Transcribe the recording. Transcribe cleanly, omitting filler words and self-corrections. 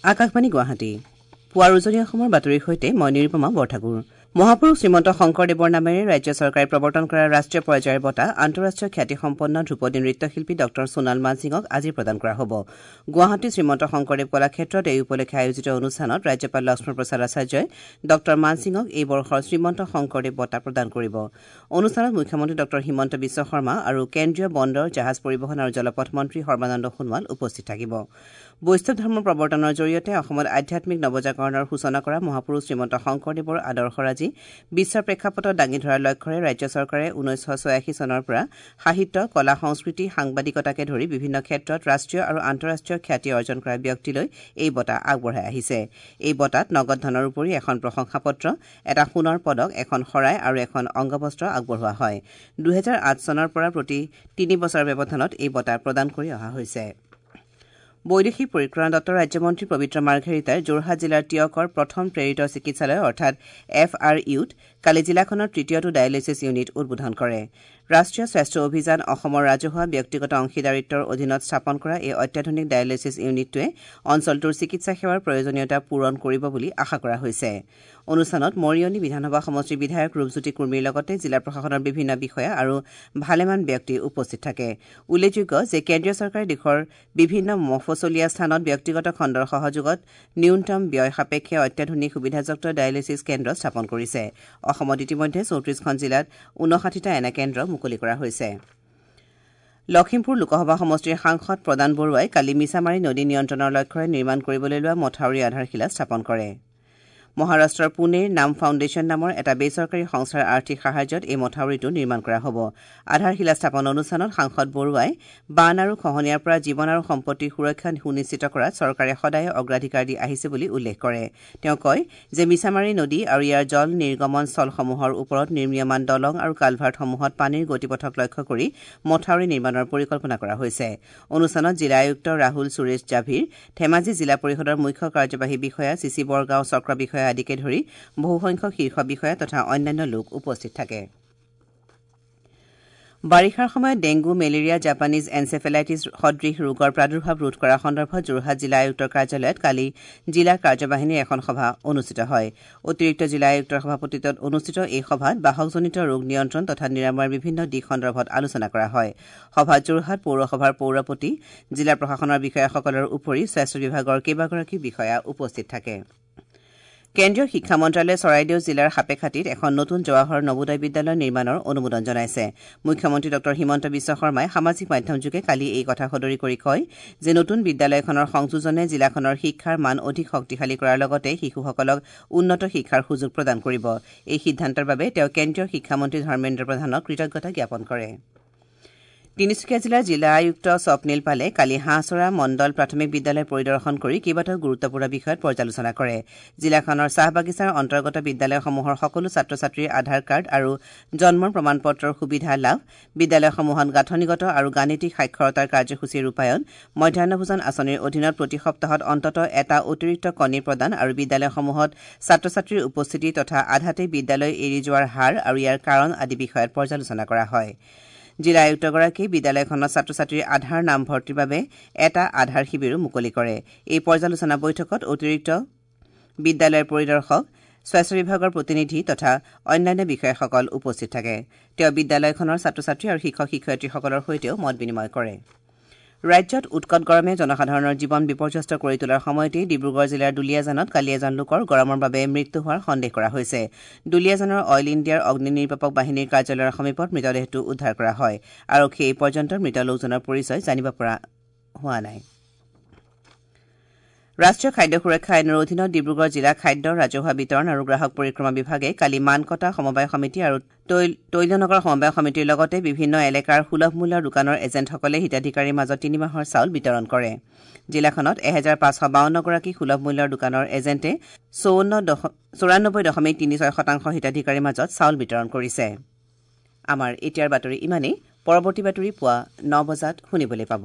আকাশবাণী গুৱাহাটী পুৱাৰ উজনি অসমৰ বাতৰিৰ সৈতে মই নিৰুপমা বৰঠাকুৰ। মহাপুৰুষ শ্ৰীমন্ত শংকৰদেৱৰ নামেৰে ৰাজ্য চৰকাৰে প্ৰৱৰ্তন কৰা ৰাষ্ট্ৰীয় পৰ্যায়ৰ বঁটা আন্তঃৰাষ্ট্ৰীয় খ্যাতিসম্পন্ন ধ্ৰুপদী নৃত্যশিল্পী ডঃ সোণাল মানসিঙক আজি প্ৰদান কৰা হ'ব। গুৱাহাটী শ্ৰীমন্ত শংকৰদেৱ কলাক্ষেত্ৰত এই উপলক্ষে আয়োজিত অনুষ্ঠানত ৰাজ্যপাল লক্ষ্মণ প্ৰসাদ আচাৰ্যই ডঃ মানসিঙক এই বৰ্ষৰ শ্ৰীমন্ত শংকৰদেৱ বঁটা প্ৰদান কৰিব। অনুষ্ঠানত মুখ্যমন্ত্ৰী ডঃ হিমন্ত বিশ্ব শৰ্মা আৰু কেন্দ্ৰীয় বন্দৰ, জাহাজ পৰিবহণ আৰু জলপথ মন্ত্ৰী সৰ্বানন্দ সোণোৱাল উপস্থিত থাকিব। বৈষ্ণৱ ধৰ্ম প্ৰৱৰ্তনৰ জৰিয়তে অসমত আধ্যাত্মিক নৱজাগৰণৰ সূচনা কৰা মহাপুৰুষ শ্ৰীমন্ত শংকৰদেৱৰ আদৰ্শৰাজি বিশ্বৰ প্ৰেক্ষাপটত দাঙি ধৰাৰ লক্ষ্যৰে ৰাজ্য চৰকাৰে ১৯৮৬ চনৰ পৰা সাহিত্য, কলা, সংস্কৃতি, সাংবাদিকতাকে ধৰি বিভিন্ন ক্ষেত্ৰত ৰাষ্ট্ৰীয় আৰু আন্তঃৰাষ্ট্ৰীয় খ্যাতি অৰ্জন কৰা ব্যক্তিলৈ এই বঁটা আগবঢ়াই আহিছে। এই বঁটাত নগদ ধনৰ উপৰি এখন প্ৰশংসা পত্ৰ, এটা সোণৰ পদক, এখন শৰাই আৰু এখন অংগবস্ত্ৰ আগবঢ়োৱা হয়। ২০০৮ চনৰ পৰা প্ৰতি ৩ বছৰৰ ব্যৱধানত এই বঁটা প্ৰদান কৰি অহা হৈছে। বৈদেশিক পৰিক্ৰমা দপ্তৰৰ ৰাজ্যমন্ত্ৰী পবিত্ৰ মাৰ্ঘেৰিটাই যোৰহাট জিলাৰ টীয়কৰ প্ৰথম প্ৰেৰিত চিকিৎসালয় অৰ্থাৎ এফ আৰ ইউত কালি জিলাখনৰ তৃতীয়টো ডায়েলিছিছ ইউনিট উদ্বোধন কৰে। ৰাষ্ট্ৰীয় স্বাস্থ্য অভিযান অসমৰ ৰাজহুৱা ব্যক্তিগত অংশীদাৰিত্বৰ অধীনত স্থাপন কৰা এই অত্যাধুনিক ডায়েলিছিছ ইউনিটটোৱে অঞ্চলটোৰ চিকিৎসা সেৱাৰ প্ৰয়োজনীয়তা পূৰণ কৰিব বুলি আশা কৰা হৈছে। অনুষ্ঠানত মৰিয়নি বিধানসভা সমষ্টিৰ বিধায়ক ৰূপজ্যোতি কুৰ্মীৰ লগতে জিলা প্ৰশাসনৰ বিভিন্ন বিষয়া আৰু ভালেমান ব্যক্তি উপস্থিত থাকে। উল্লেখযোগ্য যে কেন্দ্ৰীয় চৰকাৰে দেশৰ বিভিন্ন মফচলীয়া স্থানত ব্যক্তিগত খণ্ডৰ সহযোগত ন্যূনতম ব্যয় সাপেক্ষে অত্যাধুনিক সুবিধাযুক্ত ডায়েলিছিছ কেন্দ্ৰ স্থাপন কৰিছে। অসমত ইতিমধ্যে ৩৪খন জিলাত ৫৯টা এনে কেন্দ্ৰ মুকলি কৰা হৈছে। লখিমপুৰ লোকসভা সমষ্টিৰ সাংসদ প্ৰদান বৰুৱাই কালি মিছামাৰী নদী নিয়ন্ত্ৰণৰ লক্ষ্যৰে নিৰ্মাণ কৰিবলৈ লোৱা মথাউৰি আধাৰশিলা স্থাপন কৰে। মহাৰাষ্ট্ৰৰ পুনেৰ নাম ফাউণ্ডেশ্যন নামৰ এটা বেচৰকাৰী সংস্থাৰ আৰ্থিক সাহায্যত এই মথাউৰিটো নিৰ্মাণ কৰা হ'ব। আধাৰশিলা স্থাপন অনুষ্ঠানত সাংসদ বৰুৱাই বান আৰু খহনীয়াৰ পৰা জীৱন আৰু সম্পত্তিৰ সুৰক্ষা সুনিশ্চিত কৰাত চৰকাৰে সদায়ে অগ্ৰাধিকাৰ দি আহিছে বুলি উল্লেখ কৰে। তেওঁ কয় যে মিছামাৰী নদী আৰু ইয়াৰ জল নিৰ্গমন স্থলসমূহৰ ওপৰত নিৰ্মীয়মান দলং আৰু কালভাৰ্টসমূহত পানীৰ গতিপথক লক্ষ্য কৰি মথাউৰি নিৰ্মাণৰ পৰিকল্পনা কৰা হৈছে। অনুষ্ঠানত জিলা আয়ুক্ত ৰাহুল সুৰেশ জাভিৰ, ধেমাজি জিলা পৰিষদৰ মুখ্য কাৰ্যবাহী বিষয়া চিচি বৰগাঁও চক্ৰ বিষয়া আদিকে ধৰি বহুসংখ্যক শীৰ্ষ বিষয়া তথা অন্যান্য লোক উপস্থিত থাকে। বাৰিষাৰ সময়ত ডেংগু, মেলেৰিয়া, জাপানীজ এনচেফেলাইটিছ সদৃশ ৰোগৰ প্ৰাদুৰ্ভাৱ ৰোধ কৰাৰ সন্দৰ্ভত যোৰহাট জিলা আয়ুক্তৰ কাৰ্যালয়ত কালি জিলা কাৰ্যবাহিনীৰ এখন সভা অনুষ্ঠিত হয়। অতিৰিক্ত জিলা আয়ুক্তৰ সভাপতিত্বত অনুষ্ঠিত এই সভাত বাহকজনিত ৰোগ নিয়ন্ত্ৰণ তথা নিৰাময়ৰ বিভিন্ন দিশ সন্দৰ্ভত আলোচনা কৰা হয়। সভাত যোৰহাট পৌৰসভাৰ পৌৰপতি, জিলা প্ৰশাসনৰ বিষয়াসকলৰ উপৰি স্বাস্থ্য বিভাগৰ কেইবাগৰাকী বিষয়া উপস্থিত থাকে। কেন্দ্ৰীয় শিক্ষা মন্ত্ৰালয়ে চৰাইদেউ জিলাৰ সাপেখাতীত এখন নতুন জৱাহৰ নবোদয় বিদ্যালয় নিৰ্মাণৰ অনুমোদন জনাইছে। মুখ্যমন্ত্ৰী ডঃ হিমন্ত বিশ্ব শৰ্মাই সামাজিক মাধ্যমযোগে কালি এই কথা সদৰি কৰি কয় যে নতুন বিদ্যালয়খনৰ সংযোজনে জিলাখনৰ শিক্ষাৰ মান অধিক শক্তিশালী কৰাৰ লগতে শিশুসকলক উন্নত শিক্ষাৰ সুযোগ প্ৰদান কৰিব। এই সিদ্ধান্তৰ বাবে তেওঁ কেন্দ্ৰীয় শিক্ষামন্ত্ৰী ধৰ্মেন্দ্ৰ প্ৰধানক কৃতজ্ঞতা জ্ঞাপন কৰে। তিনিচুকীয়া জিলাৰ জিলা আয়ুক্ত স্বপ্নীল পালে কালি হাঁহচৰা মণ্ডল প্ৰাথমিক বিদ্যালয় পৰিদৰ্শন কৰি কেইবাটাও গুৰুত্বপূৰ্ণ বিষয়ত পৰ্যালোচনা কৰে। জিলাখনৰ চাহ বাগিচাৰ অন্তৰ্গত বিদ্যালয়সমূহৰ সকলো ছাত্ৰ ছাত্ৰীৰ আধাৰ কাৰ্ড আৰু জন্মৰ প্ৰমাণ পত্ৰৰ সুবিধা লাভ, বিদ্যালয়সমূহত গাঁথনিগত আৰু গাণিতিক সাক্ষৰতাৰ কাৰ্যসূচী ৰূপায়ণ, মধ্যাহ্ন ভোজন আঁচনিৰ অধীনত প্ৰতি সপ্তাহত অন্ততঃ এটা অতিৰিক্ত কণী প্ৰদান আৰু বিদ্যালয়সমূহত ছাত্ৰ ছাত্ৰীৰ উপস্থিতি তথা আধাতে বিদ্যালয় এৰি যোৱাৰ হাৰ আৰু ইয়াৰ কাৰণ আদি বিষয়ত পৰ্যালোচনা কৰা হয়। জিলা আয়ুক্তগৰাকীয়ে বিদ্যালয়খনত ছাত্ৰ ছাত্ৰীৰ আধাৰ নামভৰ্তিৰ বাবে এটা আধাৰ শিবিৰো মুকলি কৰে। এই পৰ্যালোচনা বৈঠকত অতিৰিক্ত বিদ্যালয়ৰ পৰিদৰ্শক, স্বাস্থ্য বিভাগৰ প্ৰতিনিধি তথা অন্যান্য বিষয়াসকল উপস্থিত থাকে। তেওঁ বিদ্যালয়খনৰ ছাত্ৰ ছাত্ৰী আৰু শিক্ষক শিক্ষয়িত্ৰীসকলৰ সৈতেও মত বিনিময় কৰে। ৰাজ্যত উৎকট গৰমে জনসাধাৰণৰ জীৱন বিপৰ্যস্ত কৰি তোলাৰ সময়তেই ডিব্ৰুগড় জিলাৰ দুলীয়াজানত কালি এজন লোকৰ গৰমৰ বাবে মৃত্যু হোৱাৰ সন্দেহ কৰা হৈছে। দুলীয়াজানৰ অইল ইণ্ডিয়াৰ অগ্নি নিৰ্বাপক বাহিনীৰ কাৰ্যালয়ৰ সমীপত মৃতদেহটো উদ্ধাৰ কৰা হয়। আৰক্ষীয়ে এই পৰ্যন্ত মৃত লোকজনৰ পৰিচয় জানিব পৰা হোৱা নাই। ৰাষ্ট্ৰীয় খাদ্য সুৰক্ষা আইনৰ অধীনত ডিব্ৰুগড় জিলা খাদ্য, ৰাজহুৱা বিতৰণ আৰু গ্ৰাহক পৰিক্ৰমা বিভাগে কালি মানকটা সমবায় সমিতি আৰু তৈলনগৰ সমবায় সমিতিৰ লগতে বিভিন্ন এলেকাৰ সুলভ মূল্যৰ দোকানৰ এজেণ্টসকলে হিতাধিকাৰীৰ মাজত ৩ মাহৰ চাউল বিতৰণ কৰে। জিলাখনত ১৫৫২ গৰাকী সুলভ মূল্যৰ দোকানৰ এজেণ্টে ৯৪.৩৬% হিতাধিকাৰীৰ মাজত চাউল বিতৰণ কৰিছে। আমাৰ এতিয়াৰ বাতৰি ইমানেই। পৰৱৰ্তী বাতৰি পুৱা ৯ বজাত শুনিবলৈ পাব।